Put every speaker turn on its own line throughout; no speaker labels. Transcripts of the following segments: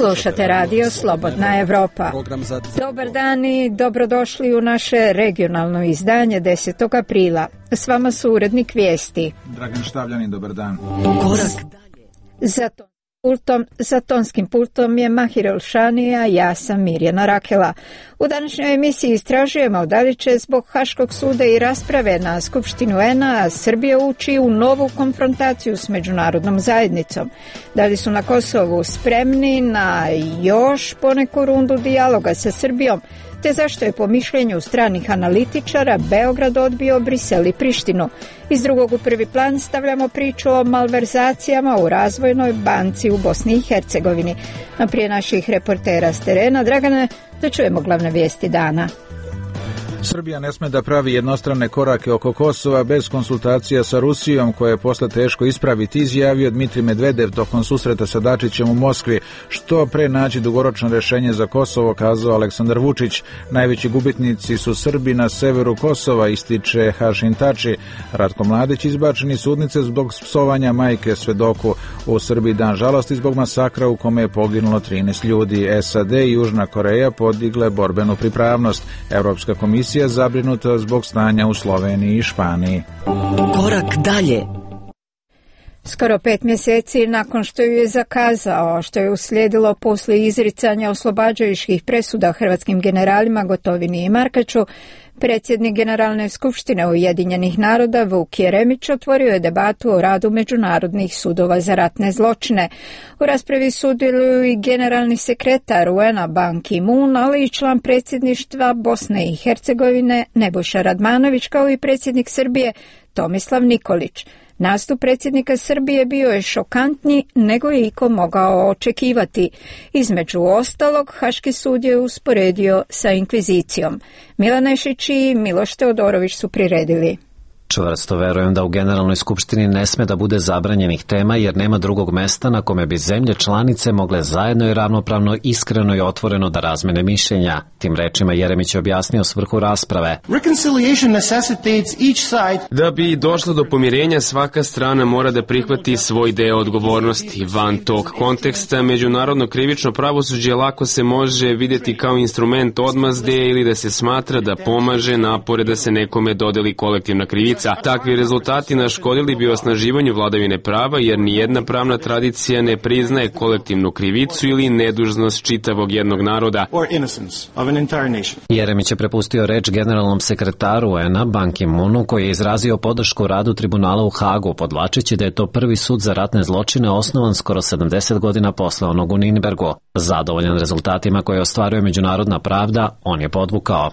Slušate radio Slobodna Evropa. Dobar dan i dobrodošli u naše regionalno izdanje 10. aprila. S vama su urednik vijesti
Dragan Štavljanin, dobar dan.
Za tonskim pultom je Mahir Elšanija, ja sam Mirjana Rakela. U današnjoj emisiji istražujemo da li će zbog Haškog suda i rasprave na Skupštinu UN-a Srbija ući u novu konfrontaciju s međunarodnom zajednicom. Da li su na Kosovu spremni na još poneku rundu dijaloga sa Srbijom, te zašto je po mišljenju stranih analitičara Beograd odbio Brisel i Prištinu. Iz drugog u prvi plan stavljamo priču o malverzacijama u Razvojnoj banci u Bosni i Hercegovini. A prije naših reportera s terena, Dragane, da čujemo glavne vijesti dana.
Srbija ne sme da pravi jednostrane korake oko Kosova bez konsultacija sa Rusijom, koje je posle teško ispraviti, izjavio Dmitrij Medvedev tokom susreta sa Dačićem u Moskvi. Što pre naći dugoročno rešenje za Kosovo, kazao Aleksandar Vučić. Najveći gubitnici su Srbi na severu Kosova, ističe Hašin Tači. Ratko Mladić izbačen iz sudnice zbog psovanja majke svedoku. U Srbiji dan žalosti zbog masakra u kome je poginulo 13 ljudi. SAD i Južna Koreja podigle borbenu pripravnost. Evropska komisija zabrinuta zbog stanja u Sloveniji i Španiji.
Korak dalje.
Skoro 5 mjeseci nakon što ju je zakazao, što je uslijedilo poslije izricanja oslobađajućih presuda hrvatskim generalima Gotovini i Markaču, predsjednik Generalne skupštine Ujedinjenih naroda Vuk Jeremić otvorio je debatu o radu međunarodnih sudova za ratne zločine. U raspravi sudjeluju i generalni sekretar UN-a Ban Ki-moon, ali i član predsjedništva Bosne i Hercegovine Nebojša Radmanović, kao i predsjednik Srbije Tomislav Nikolić. Nastup predsjednika Srbije bio je šokantniji nego je iko mogao očekivati. Između ostalog, Haški sud je usporedio sa inkvizicijom. Milan Nešić i Miloš Teodorović su priredili.
Čvrsto verujem da u Generalnoj skupštini ne sme da bude zabranjenih tema, jer nema drugog mesta na kome bi zemlje članice mogle zajedno i ravnopravno, iskreno i otvoreno da razmene mišljenja. Tim rečima Jeremić je objasnio svrhu rasprave.
Da bi došlo do pomirenja, svaka strana mora da prihvati svoj deo odgovornosti. Van tog konteksta, međunarodno krivično pravosuđe lako se može vidjeti kao instrument odmazde ili da se smatra da pomaže napore da se nekome dodeli kolektivna krivica. Takvi rezultati naškodili bi osnaživanju vladavine prava, jer nijedna pravna tradicija ne priznaje kolektivnu krivicu ili nedužnost čitavog jednog naroda.
Jeremić je prepustio reč generalnom sekretaru UN-a Ban Ki-moonu, koji je izrazio podršku radu tribunala u Hagu, podvlačeći da je to prvi sud za ratne zločine osnovan skoro 70 godina posle onog u Nürnbergu. Zadovoljan rezultatima koje ostvaruje međunarodna pravda, on je podvukao.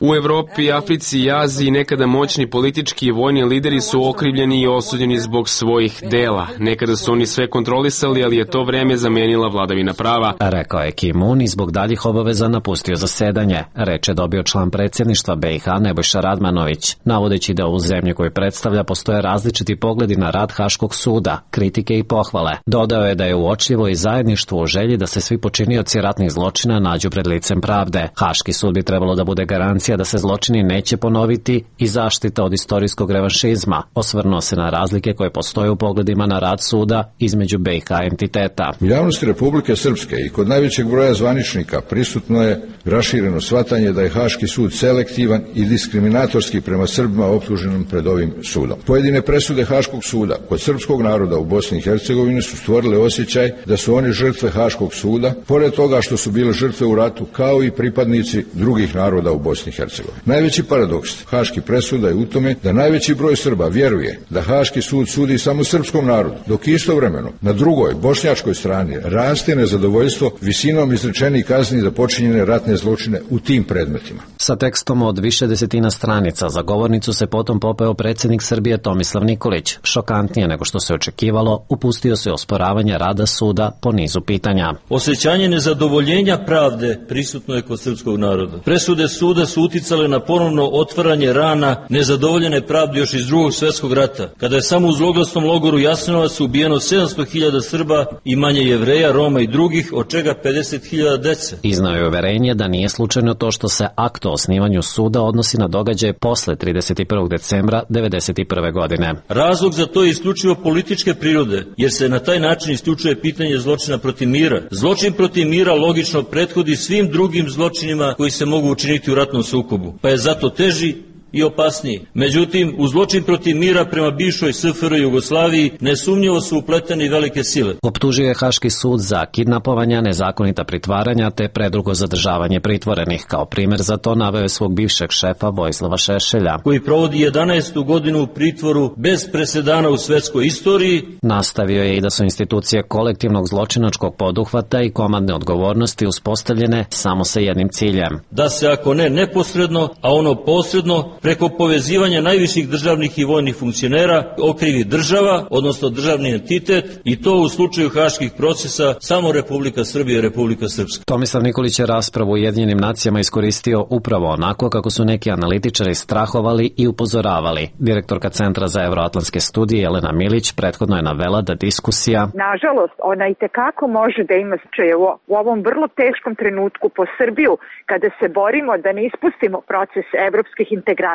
U Evropi, Africi i Aziji nekada moćni politički i vojni lideri su okrivljeni i osuđeni zbog svojih dela. Nekada su oni sve kontrolisali, ali je to vreme zamenila vladavina prava.
Rekao je Ki-moon i zbog daljih obaveza napustio zasedanje. Reč je dobio član predsjedništva BiH Nebojša Radmanović, navodeći da u zemlji koju predstavlja postoje različiti pogledi na rad Haškog suda, kritike i pohvale. Dodao je da je uočljivo i zajedništvo u želji da se svi počinioci ratnih zločina nađu pred licem pravde. Haški sud bi trebalo da bude garancija da se zločini neće ponoviti i zaštita od istorijskog revanšizma. Osvrnuo se na razlike koje postoje u pogledima na rad suda između BiH entiteta.
U javnosti Republike Srpske i kod najvećeg broja zvaničnika prisutno je rašireno shvatanje da je Haški sud selektivan i diskriminatorski prema Srbima optuženim pred ovim sudom. Pojedine presude Haškog suda kod srpskog naroda u Bosni i Hercegovini su stvorile osjećaj da su oni žrtve Haškog suda, pored toga što su bile žrtve u ratu kao i pripadnici drugih naroda u Bosni i Hercegovini. Najveći paradoks Haških presuda je u tome da najveći broj Srba vjeruje da Haški sud sudi samo srpskom narodu, dok istovremeno na drugoj, bošnjačkoj strani raste nezadovoljstvo visinom izrečenih kazni za počinjene ratne zločine u tim predmetima.
Sa tekstom od više desetina stranica za govornicu se potom popeo predsjednik Srbije Tomislav Nikolić. Šokantnije nego što se očekivalo, upustio se osporavanje rada suda po nizu pitanja.
Osjećanje nezadovoljenja pravde prisutno je kod srpskog naroda. Presude suda su uticale na ponovno otvaranje rana nezadovoljene pravde još iz Drugog svjetskog rata, kada je samo u zloglasnom logoru Jasenovac ubijeno 700.000 Srba i manje Jevreja, Roma i drugih, od čega 50.000 dece.
Iznao je uverenje da nije slučajno to što se akt o osnivanju suda odnosi na događaje posle 31. decembra 1991. godine.
Razlog za to je isključivo političke prirode, jer se na taj način isključuje pitanje zločina protiv mira. Zločin protiv mira logično prethodi svim drugim zločinima koji se mogu učiniti u ratnom sukobu, pa je zato teži i opasniji. Međutim, u zločin protiv mira prema bivšoj SFRJ Jugoslaviji nesumnjivo su upleteni velike sile.
Optužio je Haški sud za kidnapovanja, nezakonita pritvaranja te predugo zadržavanje pritvorenih. Kao primjer za to naveo je svog bivšeg šefa Vojislava Šešelja,
koji provodi 11. godinu u pritvoru bez presedana u svetskoj istoriji.
Nastavio je i da su institucije kolektivnog zločinačkog poduhvata i komandne odgovornosti uspostavljene samo sa jednim ciljem.
Da se ako ne neposredno, a ono posredno, preko povezivanja najviših državnih i vojnih funkcionera okrivi država, odnosno državni entitet, i to u slučaju haških procesa samo Republika Srbija i Republika Srpska.
Tomislav Nikolić je raspravu u Ujedinjenim nacijama iskoristio upravo onako kako su neki analitičari strahovali i upozoravali. Direktorka Centra za evroatlantske studije Jelena Milić prethodno je navela da diskusija
nažalost ona itekako može da ima značaj u ovom vrlo teškom trenutku po Srbiju, kada se borimo da ne ispustimo proces evropskih integracija,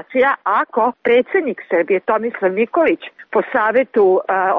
ako predsjednik Srbije Tomislav Nikolić po savetu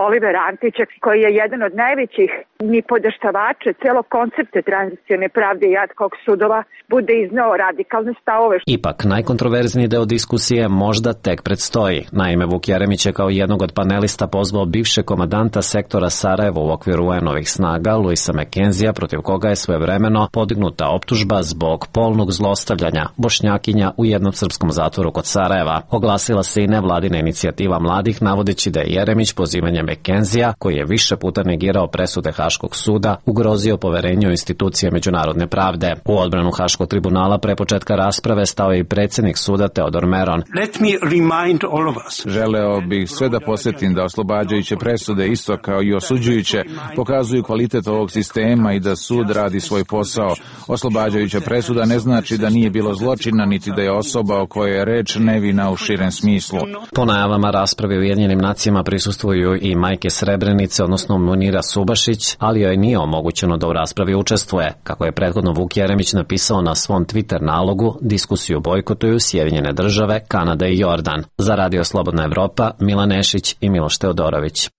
Olivera Antića, koji je jedan od najvećih nipodaštavača celog koncepta tranzicione pravde i ad hoc sudova, bude izneo radikalne stavove.
Ipak, najkontroverzniji deo diskusije možda tek predstoji. Naime, Vuk Jeremić je kao jednog od panelista pozvao bivšeg komandanta sektora Sarajevo u okviru UN-ovih snaga, Luisa McKenzija, protiv koga je svojevremeno podignuta optužba zbog polnog zlostavljanja Bošnjakinja u jednom srpskom zatvoru kod Sarajeva. Oglasila se i nevladina inicijativa mladih, navodeći da je Jeremić pozivanjem McKenzija, koji je više puta negirao presude Haškog suda, ugrozio poverenje u institucije međunarodne pravde. U odbranu Haškog tribunala pre početka rasprave stao je i predsjednik suda Teodor Meron.
Želeo bih sve da posjetim da oslobađajuće presude, isto kao i osuđujuće, pokazuju kvalitet ovog sistema i da sud radi svoj posao. Oslobađajuća presuda ne znači da nije bilo zločina, niti da je osoba o kojoj je reč nevina u širem smislu.
Po najavama rasprave u Ujedinjenim nacijama prisustvuju i majke Srebrenice, odnosno Munira Subašić, ali joj nije omogućeno da u raspravi učestvuje. Kako je prethodno Vuk Jeremić napisao na svom Twitter nalogu, diskusiju bojkotuju Sjedinjene države, Kanada i Jordan. Za Radio Slobodna Evropa, Milan Nešić i Miloš Teodorović.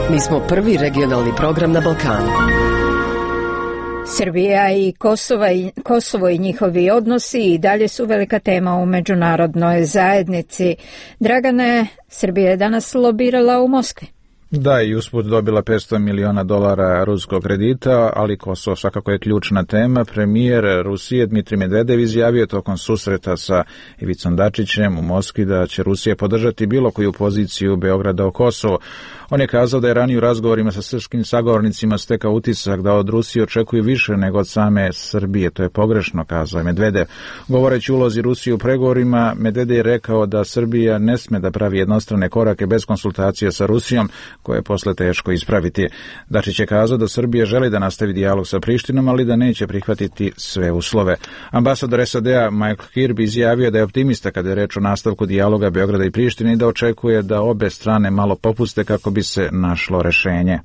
Mi smo prvi regionalni program na Balkanu.
Srbija i Kosovo i njihovi odnosi i dalje su velika tema u međunarodnoj zajednici. Dragane, Srbija je danas lobirala u Moskvi.
Da, i usput dobila $500 miliona ruskog kredita, ali Kosovo svakako je ključna tema. Premijer Rusije Dmitrij Medvedev izjavio tokom susreta sa Ivicom Dačićem u Moskvi da će Rusija podržati bilo koju poziciju Beograda o Kosovu. On je kazao da je ranije u razgovorima sa srpskim sagovornicima stekao utisak da od Rusije očekuju više nego od same Srbije. To je pogrešno, kazao je Medvedev. Govoreći o ulozi Rusije u pregovorima, Medvedev je rekao da Srbija ne sme da pravi jednostrane korake bez konsultacije sa Rusijom, koje je posle teško ispraviti. Dačić je kazao da Srbija želi da nastavi dijalog sa Prištinom, ali da neće prihvatiti sve uslove. Ambasador SAD-a Michael Kirby izjavio da je optimista kada je reč o nastavku dijaloga Beograda i Prištine i da očekuje da obe strane malo popuste kako bi se našlo rešenje.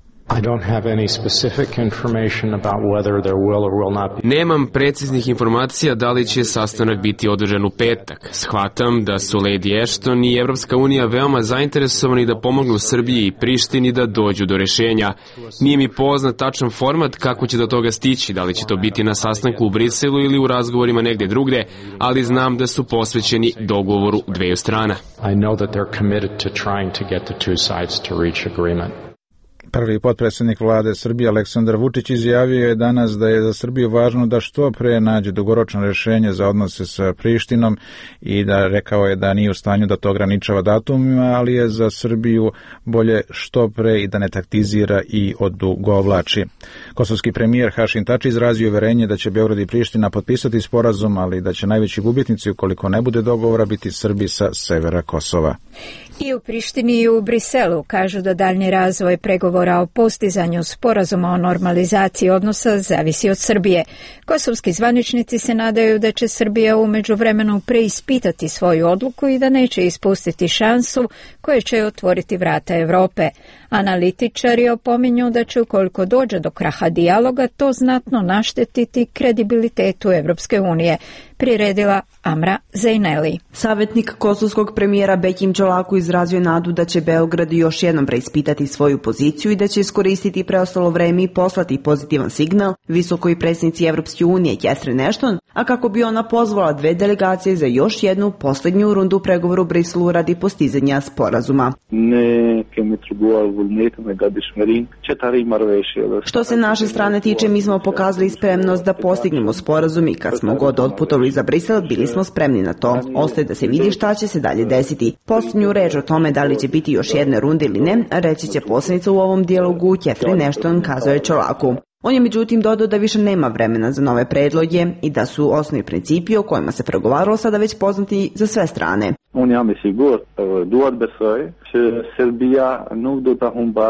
Nemam preciznih informacija da li će sastanak biti održan u petak. Shvatam da su Lady Ashton i Evropska unija veoma zainteresovani da pomognu Srbiji i Prištini da dođu do rešenja. Nije mi poznat tačan format kako će do toga stići, da li će to biti na sastanku u Briselu ili u razgovorima negde drugde, ali znam da su posvećeni dogovoru dveju strana.
Prvi potpredsjednik vlade Srbije Aleksandar Vučić izjavio je danas da je za Srbiju važno da što pre nađe dugoročno rješenje za odnose sa Prištinom i da rekao je da nije u stanju da to ograničava datumima, ali je za Srbiju bolje što pre i da ne taktizira i odugovlači. Kosovski premijer Hašim Tači izrazio uverenje da će Beograd i Priština potpisati sporazum, ali da će najveći gubitnici ukoliko ne bude dogovora biti Srbi sa severa Kosova.
I u Prištini i u Briselu kažu da daljnji razvoj pregovora o postizanju sporazuma o normalizaciji odnosa zavisi od Srbije. Kosovski zvaničnici se nadaju da će Srbija u međuvremenu preispitati svoju odluku i da neće ispustiti šansu koja će otvoriti vrata Europe. Analitičari opominju da će, ukoliko dođe do kraha dijaloga, to znatno naštetiti kredibilitetu Evropske unije, priredila Amra Zejneli.
Savjetnik kosovskog premijera Bekim Čolaku izrazio nadu da će Beograd još jednom preispitati svoju poziciju i da će iskoristiti preostalo vreme i poslati pozitivan signal visokoj predsjednici Evropske unije Catherine Ashton, a kako bi ona pozvala dve delegacije za još jednu posljednju rundu pregovora u Briselu radi postizanja sporazuma. Što se naše strane tiče, mi smo pokazali spremnost da postignemo sporazum i kad smo god otputovali za Brisel, bili smo spremni na to. Ostaje da se vidi šta će se dalje desiti. Posljednju reč o tome da li će biti još jedne runde ili ne, reći će poslanica u ovom dijalogu Catherine Ashton, kazao je Čolaku. On je međutim dodao da više nema vremena za nove predloge i da su osnovni principi o kojima se pregovaralo sada već poznati za sve strane.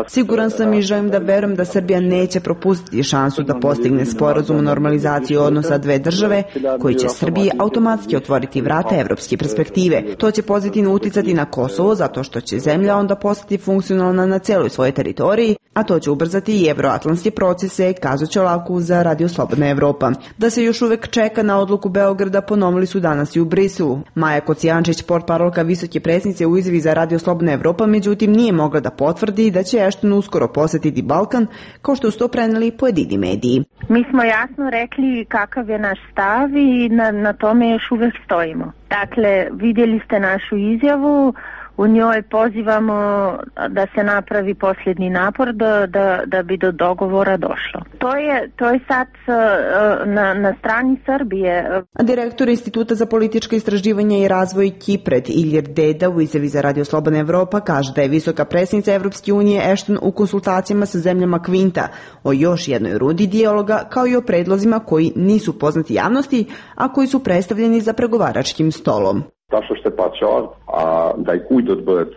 Siguran sam i želim da verujem da Srbija neće propustiti šansu da postigne sporazum o normalizaciji odnosa dve države koji će Srbiji automatski otvoriti vrata evropske perspektive. To će pozitivno uticati na Kosovo zato što će zemlja onda postati funkcionalna na cijeloj svojoj teritoriji, a to će ubrzati i evroatlantske procese, kazao Čolaku za Radio Slobodna Evropa. Da se još uvek čeka na odluku Beograda ponovili su danas i u Briselu. Maja Kocijančić, portparolka visoke predsjednice u izjavi za Radio Slobodna Evropa, međutim nije mogla da potvrdi da će Ashton uskoro posjetiti Balkan, kao što su to preneli pojedini mediji.
Mi smo jasno rekli kakav je naš stav i na tome još uvijek stojimo. Dakle, vidjeli ste našu izjavu, u njoj pozivamo da se napravi posljednji napor da bi do dogovora došlo. To je sad na strani Srbije.
Direktor Instituta za političke istraživanja i razvoj Kipred Ilir Deda u izjavi za Radio Slobodna Evropa kaže da je visoka predsjednica Evropske unije Ashton u konsultacijama sa zemljama Kvinta o još jednoj rundi dijaloga, kao i o predlozima koji nisu poznati javnosti, a koji su predstavljeni za pregovaračkim stolom.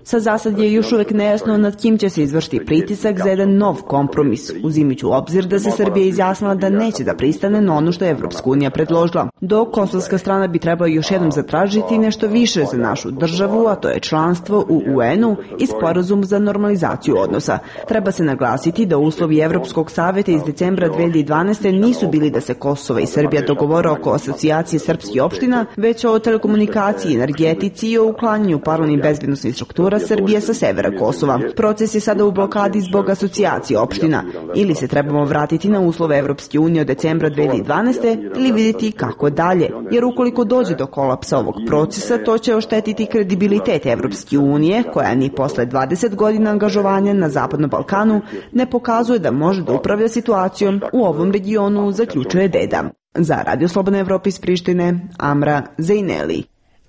Sa zasad je još uvijek nejasno nad kim će se izvršiti pritisak za jedan nov kompromis, uzimajući u obzir da se Srbija izjasnila da neće da pristane na ono što je Evropska unija predložila. Dok kosovska strana bi trebala još jednom zatražiti nešto više za našu državu, a to je članstvo u UN-u i sporazum za normalizaciju odnosa. Treba se naglasiti da uslovi Evropskog savjeta iz decembra 2012. nisu bili da se Kosovo i Srbija dogovore oko asocijacije srpskih opština, već o telekomunikaciji, energetici i o uklanjanju paralelnih bezbednosnih struktura Srbije sa severa Kosova. Proces je sada u blokadi zbog asocijacije opština. Ili se trebamo vratiti na uslove Evropske unije od decembra 2012. ili vidjeti kako dalje, jer ukoliko dođe do kolapsa ovog procesa, to će oštetiti kredibilitet Evropske unije, koja ni posle 20 godina angažovanja na Zapadnom Balkanu ne pokazuje da može da upravlja situacijom u ovom regionu, zaključuje Deda. Za Radio Slobodna Evropa iz Prištine, Amra Zejneli.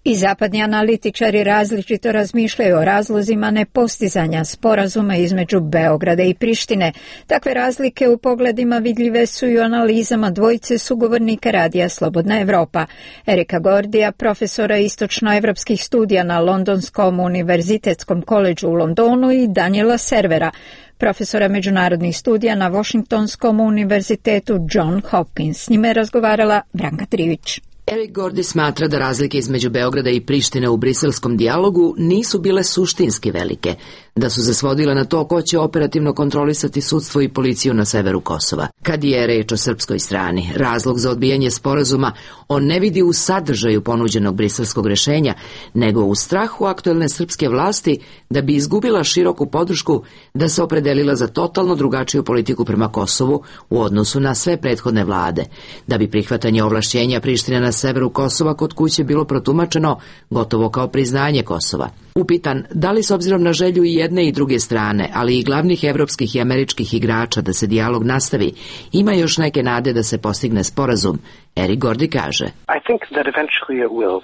I zapadni analitičari različito razmišljaju o razlozima nepostizanja sporazuma između Beograda i Prištine. Takve razlike u pogledima vidljive su i u analizama dvojice sugovornika Radija Slobodna Evropa. Erika Gordija, profesora istočnoevropskih studija na Londonskom univerzitetskom koledžu u Londonu, i Daniela Servera, profesora međunarodnih studija na Washingtonskom univerzitetu John Hopkins. S njime je razgovarala Branka Trivić.
Erik Gordi smatra da razlike između Beograda i Prištine u briselskom dijalogu nisu bile suštinski velike, da su se svodile na to ko će operativno kontrolisati sudstvo i policiju na severu Kosova. Kad je reč o srpskoj strani, razlog za odbijanje sporazuma on ne vidi u sadržaju ponuđenog briselskog rešenja, nego u strahu aktuelne srpske vlasti da bi izgubila široku podršku, da se opredelila za totalno drugačiju politiku prema Kosovu u odnosu na sve prethodne vlade, da bi prihvatanje ovlašćenja Prištine na severu Kosova kod kuće bilo protumačeno gotovo kao priznanje Kosova. Upitan da li s obzirom na želju i jedne i druge strane, ali i glavnih evropskih i američkih igrača da se dijalog nastavi, ima još neke nade da se postigne sporazum, Eric Gordy kaže: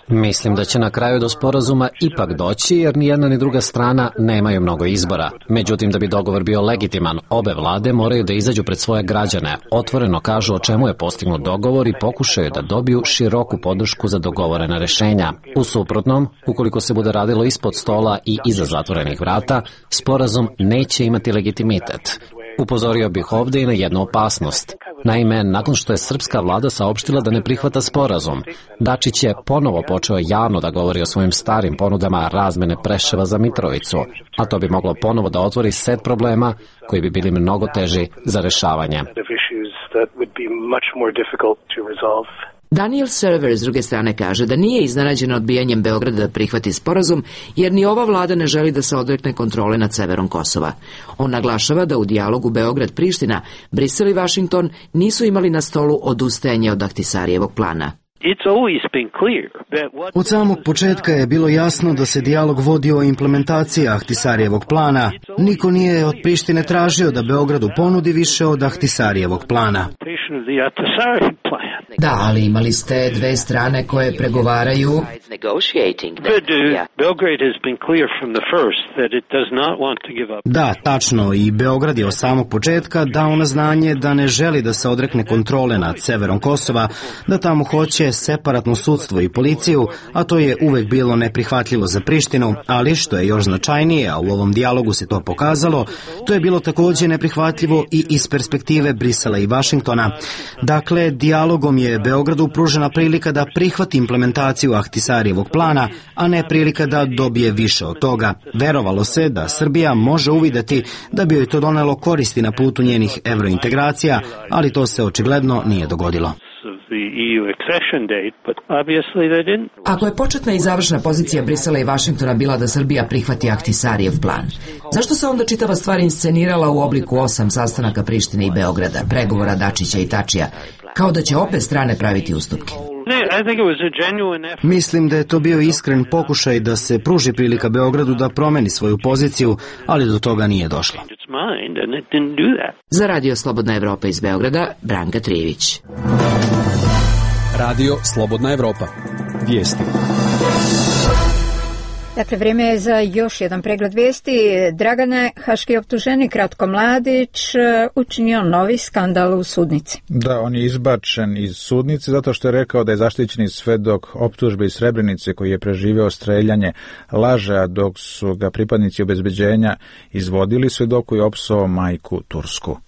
Mislim da će na kraju do sporazuma ipak doći, jer ni jedna ni druga strana nemaju mnogo izbora. Međutim, da bi dogovor bio legitiman, obe vlade moraju da izađu pred svoje građane, otvoreno kažu o čemu je postignut dogovor i pokušaju da dobiju široku podršku za dogovorena rešenja. U suprotnom, ukoliko se bude radilo ispod stola i iza zatvorenih vrata, sporazum neće imati legitimitet. Upozorio bih ovde i na jednu opasnost. Naime, nakon što je srpska vlada saopštila da ne prihvata sporazum, Dačić je ponovo počeo javno da govori o svojim starim ponudama razmene Preševa za Mitrovicu, a to bi moglo ponovo da otvori set problema koji bi bili mnogo teži za rešavanje.
Daniel Server s druge strane kaže da nije iznenađen odbijanjem Beograda da prihvati sporazum, jer ni ova vlada ne želi da se odrekne kontrole nad severom Kosova. On naglašava da u dijalogu Beograd-Priština, Brisel i Vašington nisu imali na stolu odustajanje od Ahtisarijevog plana.
Od samog početka je bilo jasno da se dijalog vodi o implementaciji Ahtisarijevog plana. Niko nije od Prištine tražio da Beogradu ponudi više od Ahtisarijevog plana.
Da, ali imali ste dve strane koje pregovaraju.
Da, tačno, i Beograd je od samog početka dao na znanje da ne želi da se odrekne kontrole nad severom Kosova, da tamo hoće separatno sudstvo i policiju, a to je uvek bilo neprihvatljivo za Prištinu, ali što je još značajnije, a u ovom dijalogu se to pokazalo, to je bilo takođe neprihvatljivo i iz perspektive Brisela i Vašingtona. Dakle, dijalogom je Beogradu pružena prilika da prihvati implementaciju Ahtisarijevog plana, a ne prilika da dobije više od toga. Verovalo se da Srbija može uvideti da bi joj to donelo koristi na putu njenih evrointegracija, ali to se očigledno nije dogodilo.
Ako je početna i završna pozicija Brisela i Vašingtona bila da Srbija prihvati Ahtisarijev plan, zašto se onda čitava stvar inscenirala u obliku 8 sastanaka Prištine i Beograda, pregovora Dačića i Tačija, kao da će obe strane praviti ustupke?
Mislim da je to bio iskren pokušaj da se pruži prilika Beogradu da promeni svoju poziciju, ali do toga nije došlo.
Za Radio Slobodna Evropa iz Beograda, Branka Trijević.
Radio Slobodna Evropa. Vijesti.
Dakle, vrijeme je za još jedan pregled vijesti. Dragane, haški optuženik Ratko Mladić učinio novi skandal u sudnici.
Da, on je izbačen iz sudnice zato što je rekao da je zaštićeni svedok optužbe iz Srebrenice koji je preživeo streljanje laže, dok su ga pripadnici obezbeđenja izvodili, svedoku je opsovao majku tursku.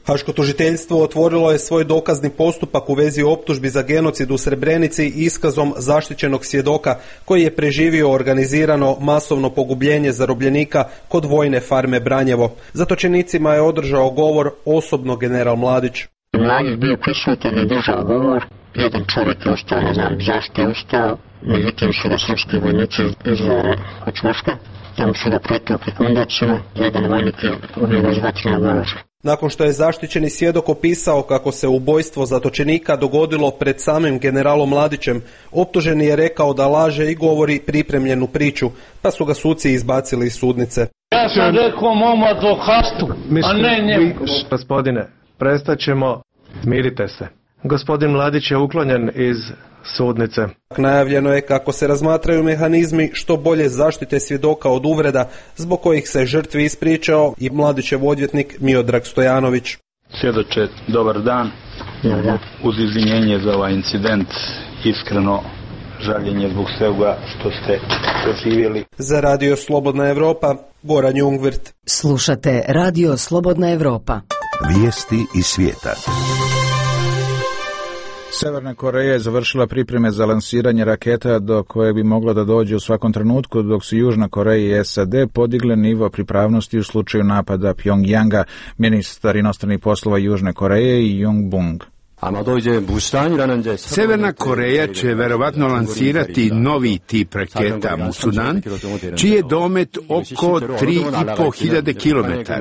Haško tužiteljstvo otvorilo je svoj dokazni postupak u vezi optužbi za genocid u Srebrenici iskazom zaštićenog svjedoka koji je preživio organizirano masovno pogubljenje zarobljenika kod vojne farme Branjevo. Zatočenicima je održao govor osobno general Mladić.
Mladić bio prisutan i držao govor. Jedan čovjek je ostao, ne znam zašto je ustao, međutim su ga srpski vojnici izvali od čvoška. Tamo su ga pretukli kondacima, jedan vojnik je ubio bez vatrenog oružja.
Nakon što je zaštićeni svjedok opisao kako se ubojstvo zatočenika dogodilo pred samim generalom Mladićem, optuženi je rekao da laže i govori pripremljenu priču, pa su ga suci izbacili iz sudnice.
Ja sam rekao mom advokatu, a ne njemu.
Gospodine, prestaćemo, smirite se. Gospodin Mladić je uklonjen iz sudnice.
Najavljeno je kako se razmatraju mehanizmi što bolje zaštite svjedoka od uvreda zbog kojih se žrtvi ispričao i Mladićev odvjetnik Miodrag Stojanović.
Svjedoče, dobar dan. Uz izvinjenje za ovaj incident, iskreno žaljenje zbog svega što ste doživjeli.
Za Radio Slobodna Evropa, Goran Jungvirt.
Slušate Radio Slobodna Evropa.
Vijesti iz svijeta.
Severna Koreja je završila pripreme za lansiranje raketa do koje bi moglo da dođe u svakom trenutku, dok su Južna Koreja i SAD podigle nivo pripravnosti u slučaju napada Pjongjanga, ministar inostranih poslova Južne Koreje i Jung Bung.
Severna Koreja će verovatno lansirati novi tip raketa Musudan, čiji je domet oko 3.500 km.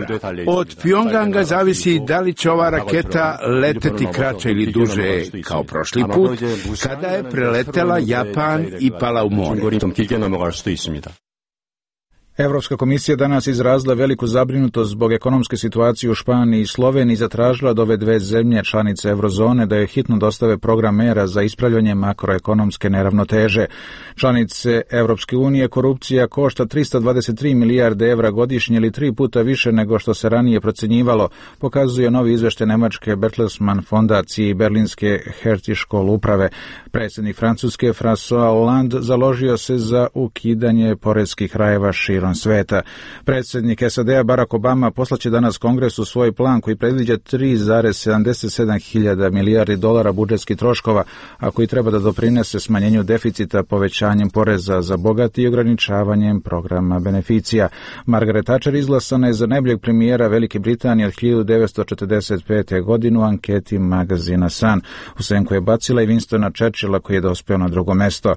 Od Pjongjanga zavisi da li će ova raketa leteti kraće ili duže kao prošli put, kada je preletela Japan i pala u more.
Europska komisija danas izrazila veliku zabrinutost zbog ekonomske situacije u Španiji i Sloveniji i zatražila od ove dve zemlje članice eurozone da je hitno dostave program mera za ispravljanje makroekonomske neravnoteže. Članice Europske unije korupcija košta 323 milijarde evra godišnje ili 3 puta više nego što se ranije procjenjivalo, pokazuje novi izveštaj nemačke Bertelsmann fondacije i berlinske Hertie-Škol uprave. Predsjednik Francuske François Hollande založio se za ukidanje poreskih rajeva širom sveta. Predsjednik SAD-a Barack Obama poslaće danas Kongresu svoj plan koji predviđa 3,77 hiljada milijardi dolara budžetskih troškova, a koji treba da doprinese smanjenju deficita povećanjem poreza za bogati i ograničavanjem programa beneficija. Margaret Thatcher izglasana je za najboljeg premijera Velike Britanije od 1945. godine u anketi magazina Sun. U senku je bacila i Winstona Churchilla koji je dospeo na drugo mesto.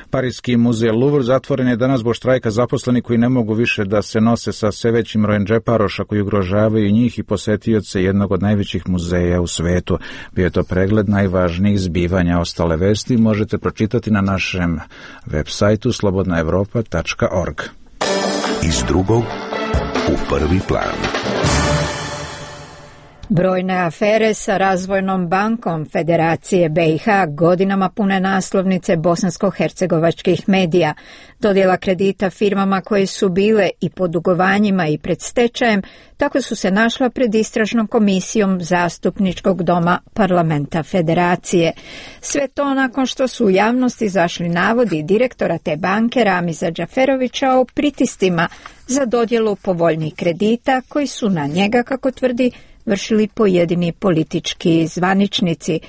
Parijski muzej Louvre zatvoren je danas zbog štrajka zaposlenih koji ne mogu više da se nose sa sve većim brojem džeparoša koji ugrožavaju njih i posetioce jednog od najvećih muzeja u svetu. Bio je to pregled najvažnijih zbivanja. Ostale vesti možete pročitati na našem web sajtu slobodnaevropa.org.
Iz drugog u prvi plan.
Brojne afere sa Razvojnom bankom Federacije BiH godinama pune naslovnice bosansko-hercegovačkih medija. Dodjela kredita firmama koje su bile i pod dugovanjima i pred stečajem, tako su se našla pred istražnom komisijom Zastupničkog doma Parlamenta Federacije. Sve to nakon što su u javnosti izašli navodi direktora te banke Ramiza Džaferovića o pritiscima za dodjelu povoljnih kredita koji su na njega, kako tvrdi, vršili pojedini politički zvaničnici.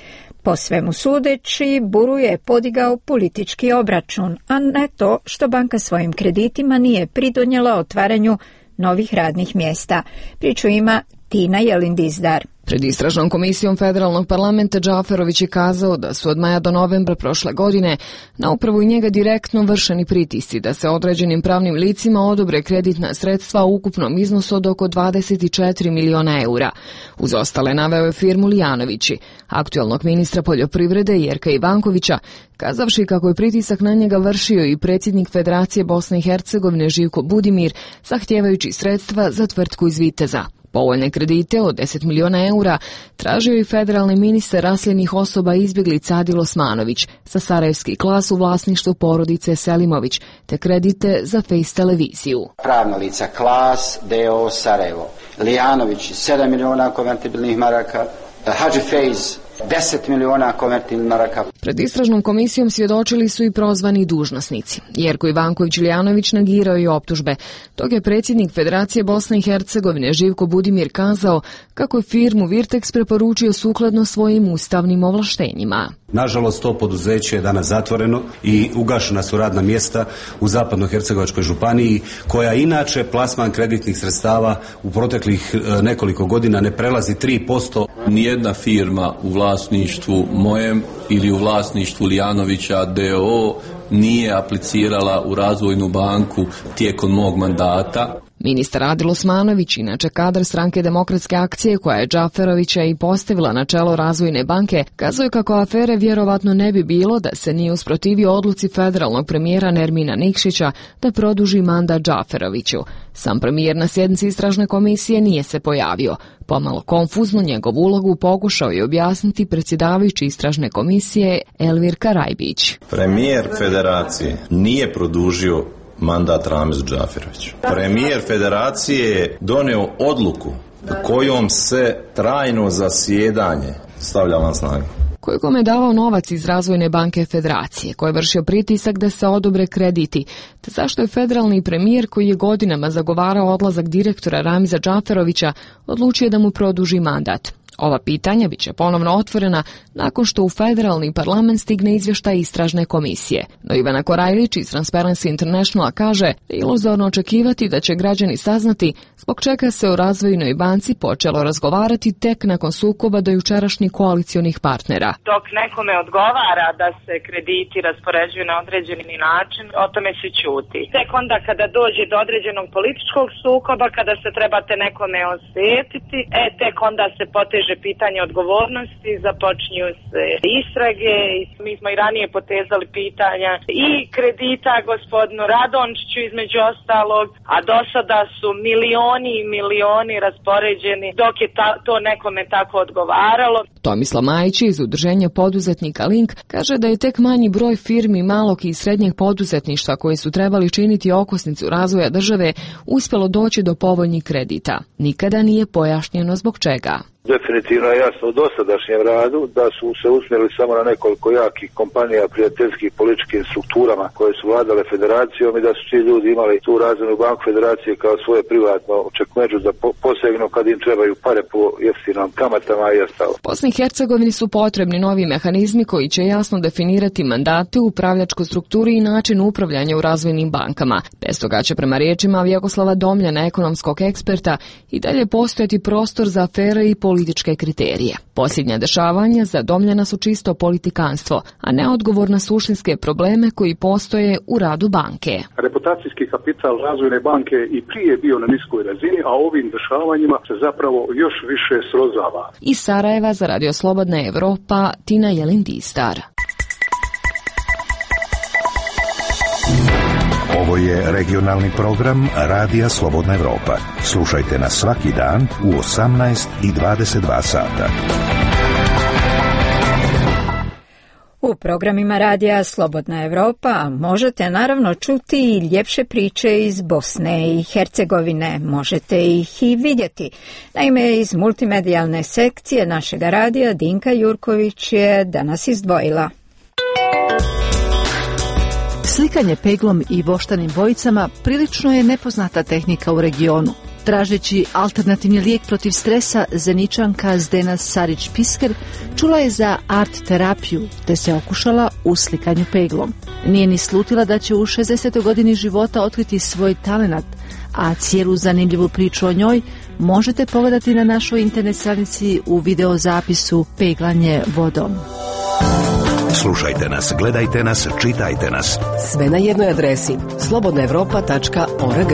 Po svemu sudeći, Buru je podigao politički obračun, a ne to što banka svojim kreditima nije pridonijela otvaranju novih radnih mjesta. Priču ima Tina Jelindizdar.
Pred istražnom komisijom Federalnog parlamenta Džaferović je kazao da su od maja do novembra prošle godine na upravu i njega direktno vršeni pritisci da se određenim pravnim licima odobre kreditna sredstva u ukupnom iznosu od oko 24 miliona eura. Uz ostale naveo je firmu Lijanovići, aktualnog ministra poljoprivrede Jerka Ivankovića, kazavši kako je pritisak na njega vršio i predsjednik Federacije Bosne i Hercegovine Živko Budimir, zahtijevajući sredstva za tvrtku iz Viteza. Povoljne kredite od 10 miliona eura tražio i federalni ministar raseljenih osoba izbjeglica Adil Osmanović sa sarajevski klas u vlasništvu porodice Selimović, te kredite za Face televiziju.
Pravna lica Klas, D.O. Sarajevo, Lijanović 7 miliona konvertibilnih maraka, Hadži Fejz 10 miliona konvertibilnih maraka.
Pred istražnom komisijom svjedočili su i prozvani dužnosnici. Jerko Ivanković Lijanović negirao i optužbe. Dok je predsjednik Federacije Bosne i Hercegovine Živko Budimir kazao kako je firmu Virtex preporučio sukladno svojim ustavnim ovlaštenjima.
Nažalost, to poduzeće je danas zatvoreno i ugašena su radna mjesta u Zapadno-Hercegovačkoj županiji, koja inače plasman kreditnih sredstava u proteklih nekoliko godina ne prelazi 3%.
Nijedna firma u vlasništvu mojem ili u vlasništvu Lijanovića D.O. nije aplicirala u Razvojnu banku tijekom mog mandata.
Ministar Adil Osmanović, inače kadar Stranke demokratske akcije koja je Džaferovića i postavila na čelo Razvojne banke, kazuje kako afere vjerovatno ne bi bilo da se nije usprotivio odluci federalnog premijera Nermina Nikšića da produži mandat Džaferoviću. Sam premijer na sjednici istražne komisije nije se pojavio. Pomalo konfuzno njegovu ulogu pokušao je objasniti predsjedavajući istražne komisije Elvir Karajbić.
Premijer Federacije nije produžio mandat Ramizu Džaferoviću. Premijer Federacije je donio odluku kojom se trajno zasjedanje stavlja van snagu.
Kojegome je davao novac iz Razvojne banke Federacije, koji je vršio pritisak da se odobre krediti, te zašto je federalni premijer koji je godinama zagovarao odlazak direktora Ramiza Džaferovića odlučio da mu produži mandat. Ova pitanja bit će ponovno otvorena nakon što u federalni parlament stigne izvještaj istražne komisije. No Ivana Korajlić iz Transparency Internationala kaže da je iluzorno očekivati da će građani saznati zbog čega se o Razvojnoj banci počelo razgovarati tek nakon sukoba do jučerašnjih koalicionih partnera.
Dok nekome odgovara da se krediti raspoređuju na određeni način, o tome se ćuti. Tek onda kada dođe do određenog političkog sukoba, kada se trebate nekome osvetiti, tek onda se poteže poteže pitanje odgovornosti, započinju se istrage i mi smo i ranije potezali pitanja i kredita gospodinu Radončiću između ostalog, a do sada su milioni i milioni raspoređeni dok je to nekome tako odgovaralo.
Tomislav Majić iz Udruženja poduzetnika Link kaže da je tek manji broj firmi malog i srednjeg poduzetništva koji su trebali činiti okosnicu razvoja države uspjelo doći do povoljnih kredita. Nikada nije pojašnjeno zbog čega.
Definitivno je jasno u dosadašnjem radu da su se usmjerili samo na nekoliko jakih kompanija, prijateljskih političkim strukturama koje su vladale federacijom i da su ti ljudi imali tu razvojnu banku federacije kao svoje privatno čekmeđu da posegnu kad im trebaju pare po jeftinom kamatama i ostalo.
Bosni i Hercegovini su potrebni novi mehanizmi koji će jasno definirati mandate, upravljačku strukturu i način upravljanja u razvojnim bankama. Bez toga će prema riječima Vjekoslava Domljana, ekonomskog eksperta, i dalje postojati prostor za afere i političke kriterije. Posljednja dešavanja za Domljana su čisto politikanstvo, a ne odgovor na suštinske probleme koji postoje u radu banke.
Reputacijski kapital razvojne banke i prije bio na niskoj razini, a ovim dešavanjima se zapravo još više srozava.
Iz Sarajeva za Radio Slobodna Evropa, Tina Jelindistar.
Ovo je regionalni program Radija Slobodna Evropa. Slušajte nas svaki dan u 18 i 22 sata.
U programima Radija Slobodna Evropa možete naravno čuti i ljepše priče iz Bosne i Hercegovine. Možete ih i vidjeti. Naime, iz multimedijalne sekcije našega radija Dinka Jurković je danas izdvojila.
Slikanje peglom i voštanim bojicama prilično je nepoznata tehnika u regionu. Tražeći alternativni lijek protiv stresa, Zeničanka Zdena Sarić-Pisker čula je za art terapiju, te se okušala u slikanju peglom. Nije ni slutila da će u 60. godini života otkriti svoj talenat, a cijelu zanimljivu priču o njoj možete pogledati na našoj internet stranici u videozapisu Peglanje vodom.
Slušajte nas, gledajte nas, čitajte nas.
Sve na jednoj adresi slobodnaevropa.org.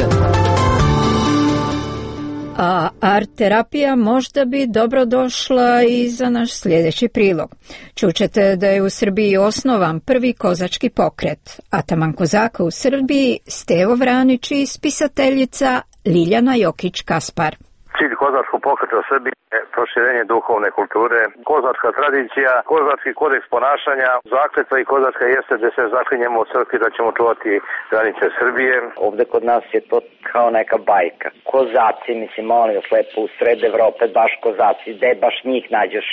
A art terapija možda bi dobro došla i za naš sljedeći prilog. Čućete da je u Srbiji osnovan prvi kozački pokret. Ataman kozaka u Srbiji Stevo Vranić i spisateljica Liljana Jokić-Kaspar.
Cilj kozačkog pokreta u Srbiji je proširenje duhovne kulture, kozačka tradicija, kozački kodeks ponašanja, zakletva i kozačka jeste da se zaklinjemo u crkvi da ćemo čuvati granice Srbije.
Ovde kod nas je to kao neka bajka. Kozaci, mislim, molim vas lepo, u sred Evrope baš kozaci, gde baš njih nađeš?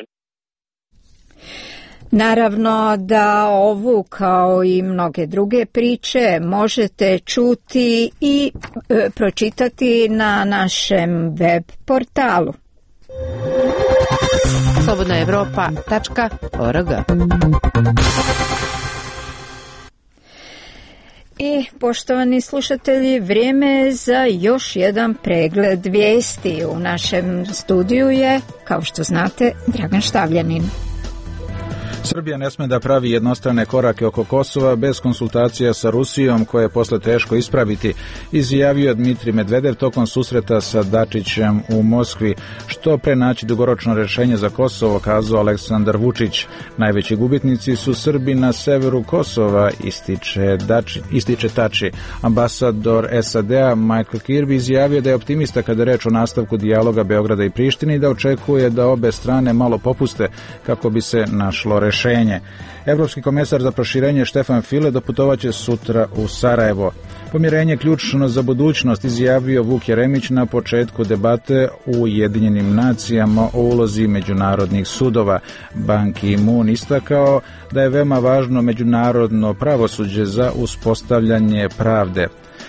Naravno da ovu kao i mnoge druge priče možete čuti i pročitati na našem web portalu.
slobodnaevropa.org.
I poštovani slušatelji, vrijeme je za još jedan pregled vijesti. U našem studiju je, kao što znate, Dragan Štavljanin.
Srbija ne sme da pravi jednostrane korake oko Kosova bez konsultacija sa Rusijom, koje je posle teško ispraviti, izjavio Dmitrij Medvedev tokom susreta sa Dačićem u Moskvi. Što pre naći dugoročno rješenje za Kosovo, kazao Aleksandar Vučić. Najveći gubitnici su Srbi na severu Kosova, ističe Tači. Ambasador SAD-a Michael Kirby izjavio da je optimista kada je reč o nastavku dijaloga Beograda i Prištine i da očekuje da obe strane malo popuste kako bi se našlo rješenje. Evropski komesar za proširenje Štefan File doputovaće sutra u Sarajevo. Pomirenje ključno za budućnost, izjavio Vuk Jeremić na početku debate u Ujedinjenim nacijama o ulozi međunarodnih sudova. Ban Ki-moon istakao da je veoma važno međunarodno pravosuđe za uspostavljanje pravde.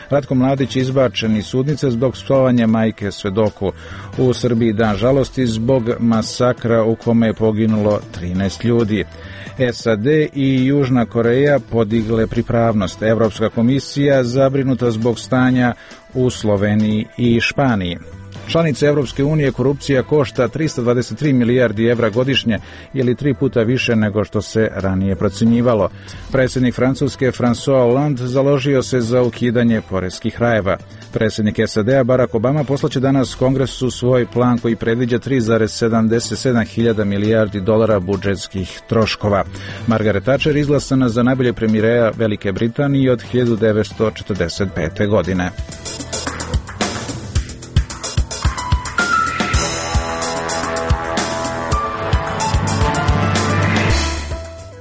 Ratko Mladić izbačen iz sudnice zbog psovanja majke svedoku. U Srbiji dan žalosti zbog masakra u kome je poginulo 13 ljudi. SAD i Južna Koreja podigle pripravnost. Evropska komisija zabrinuta zbog stanja u Sloveniji i Španiji. Članice Europske unije korupcija košta 323 milijardi evra godišnje ili 3 puta više nego što se ranije procjenjivalo. Predsjednik Francuske François Hollande založio se za ukidanje poreskih rajeva. Predsjednik SAD-a Barack Obama poslaće danas Kongresu svoj plan koji predviđa 3,77 hiljada milijardi dolara budžetskih troškova. Margaret Thatcher izglasana za najbolje premijera Velike Britanije od 1945. godine.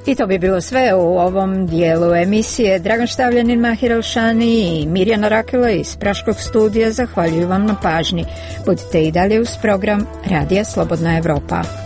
I to bi bilo sve u ovom dijelu emisije. Dragan Štavljanin, Mahir Elšani i Mirjana Rakela iz Praškog studija zahvaljuju vam na pažnji. Budite i dalje uz program Radija Slobodna Evropa.